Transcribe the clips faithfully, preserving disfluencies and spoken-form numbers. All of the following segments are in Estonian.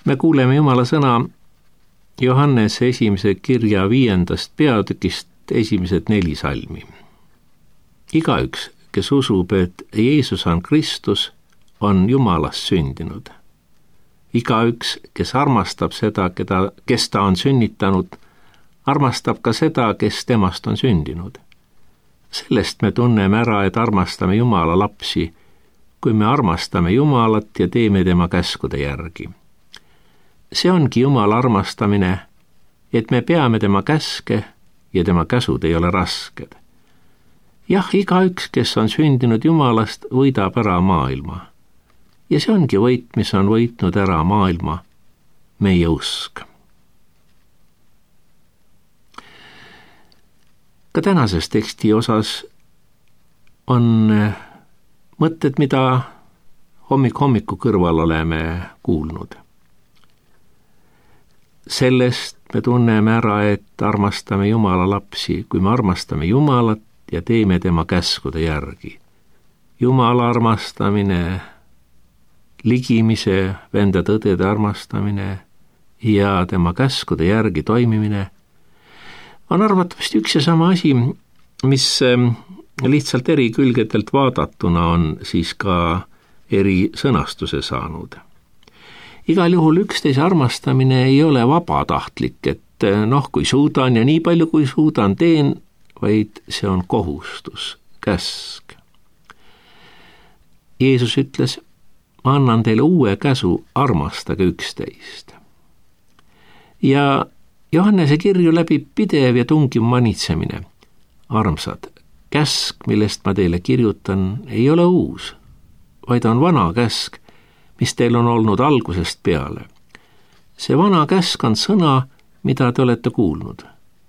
Me kuuleme Jumala sõna Johannese esimese kirja viiendast peatükist esimesed neli salmi. Igaüks, kes usub, et Jeesus on Kristus, on Jumalast sündinud. Igaüks, kes armastab seda, keda, kes ta on sünnitanud, armastab ka seda, kes temast on sündinud. Sellest me tunneme ära, et armastame Jumala lapsi, kui me armastame Jumalat ja teeme tema käskude järgi. See ongi Jumala armastamine, et me peame tema käske ja tema käsud ei ole rasked. Jah, igaüks, kes on sündinud Jumalast, võidab ära maailma. Ja see ongi võit, mis on võitnud ära maailma, meie usk. Ka tänases teksti osas on mõtted, mida hommik hommiku kõrval oleme kuulnud. Sellest me tunneme ära, et armastame Jumala lapsi, kui me armastame Jumalat ja teeme tema käskude järgi. Jumala armastamine, ligimise, venda-tõdede armastamine ja tema käskude järgi toimimine on arvatavasti üks ja sama asi, mis lihtsalt eri külgedelt vaadatuna on siis ka eri sõnastuse saanud. Igal juhul üksteise armastamine ei ole vabatahtlik, et noh, kui suudan ja nii palju kui suudan teen, vaid see on kohustus, käsk. Jeesus ütles, ma annan teile uue käsu, armastage üksteist. Ja Johannese kirju läbib pidev ja tungiv manitsemine. Armsad, käsk, millest ma teile kirjutan, ei ole uus, vaid on vana käsk, mis teil on olnud algusest peale. See vana käsk on sõna, mida te olete kuulnud,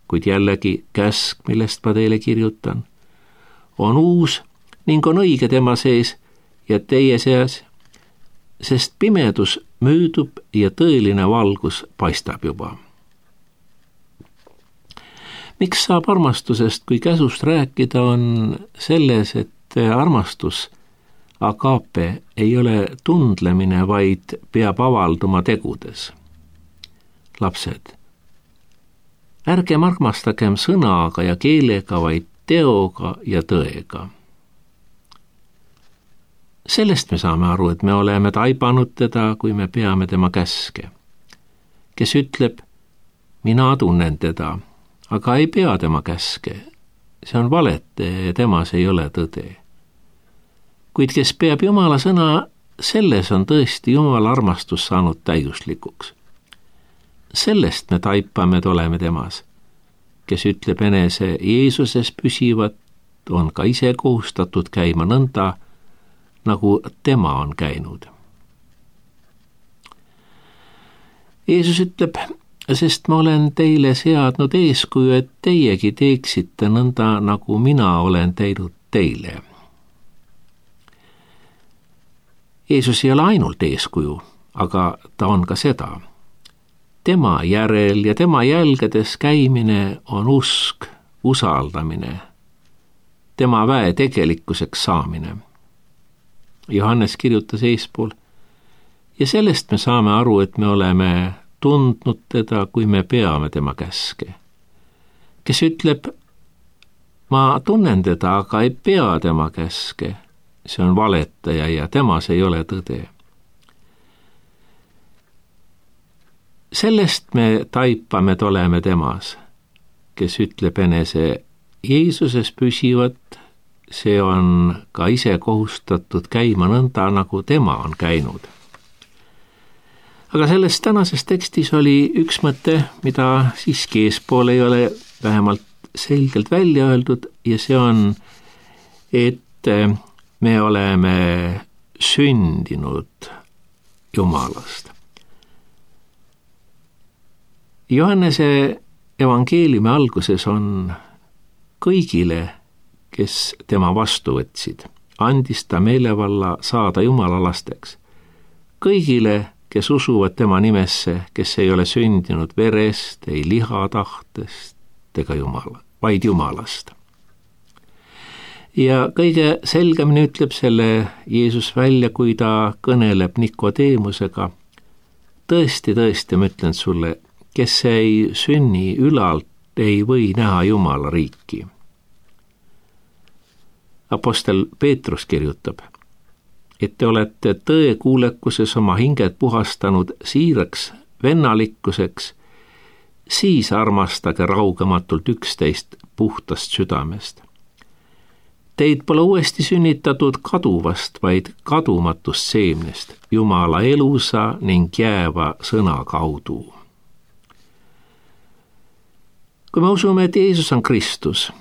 kuid jällegi käsk, millest ma teile kirjutan, on uus ning on õige tema sees ja teie seas, sest pimedus möödub ja tõeline valgus paistab juba. Miks saab armastusest kui käsust rääkida, on selles, et armastus agape ei ole tundlemine, vaid peab avalduma tegudes. Lapsed, ärgem armastagem sõnaga ja keelega, vaid teoga ja tõega. Sellest me saame aru, et me oleme taibanud teda, kui me peame tema käske. Kes ütleb, mina tunnen teda, aga ei pea tema käske. See on valete ja temas ei ole tõde. Kuid kes peab Jumala sõna, selles on tõesti Jumala armastus saanud täiuslikuks. Sellest me taipame, et oleme temas. Kes ütleb enese Jeesuses püsivat, on ka ise kohustatud käima nõnda, nagu tema on käinud. Jeesus ütleb, sest ma olen teile seadnud eeskuju, et teiegi teeksite nõnda, nagu mina olen teinud teile. Jeesus ei ole ainult eeskuju, aga ta on ka seda. Tema järel ja tema jälgedes käimine on usk, usaldamine, tema väe tegelikkuseks saamine. Johannes kirjutas eespool, ja sellest me saame aru, et me oleme tundnud teda, kui me peame tema käske. Kes ütleb, ma tunnen teda, aga ei pea tema käske, see on valetaja ja temas ei ole tõde. Sellest me taipame, et oleme temas. Kes ütleb enese Jeesuses püsivat, see on ka ise kohustatud käima nõnda, nagu tema on käinud. Aga selles tänases tekstis oli üks mõte, mida siiski eespool ei ole vähemalt selgelt välja öeldud, ja see on, et me oleme sündinud Jumalast. Johannese evangeeliumi alguses on kõigile, kes tema vastu võtsid, andis ta meelevalla saada Jumala lasteks. Kõigile, kes usuvad tema nimesse, kes ei ole sündinud verest, ei lihatahtest ega Jumala, vaid Jumalast. Ja kõige selgemini ütleb selle Jeesus välja, kui ta kõneleb Nikodeemusega, tõesti, tõesti, ma ütlen sulle, kes ei sünni ülalt, ei või näha Jumala riiki. Apostel Peetrus kirjutab, et te olete tõekuulekuses oma hinged puhastanud siiraks vennalikkuseks, siis armastage raugematult üksteist puhtast südamest. Teid pole uuesti sünnitatud kaduvast, vaid kadumatust seemnest, Jumala elusa ning jääva sõna kaudu. Kui me usume, et Jeesus on Kristus,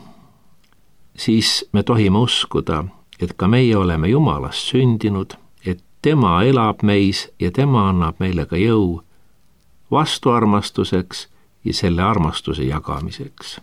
siis me tohime uskuda, et ka meie oleme Jumalast sündinud, et tema elab meis ja tema annab meile ka jõu vastuarmastuseks ja selle armastuse jagamiseks.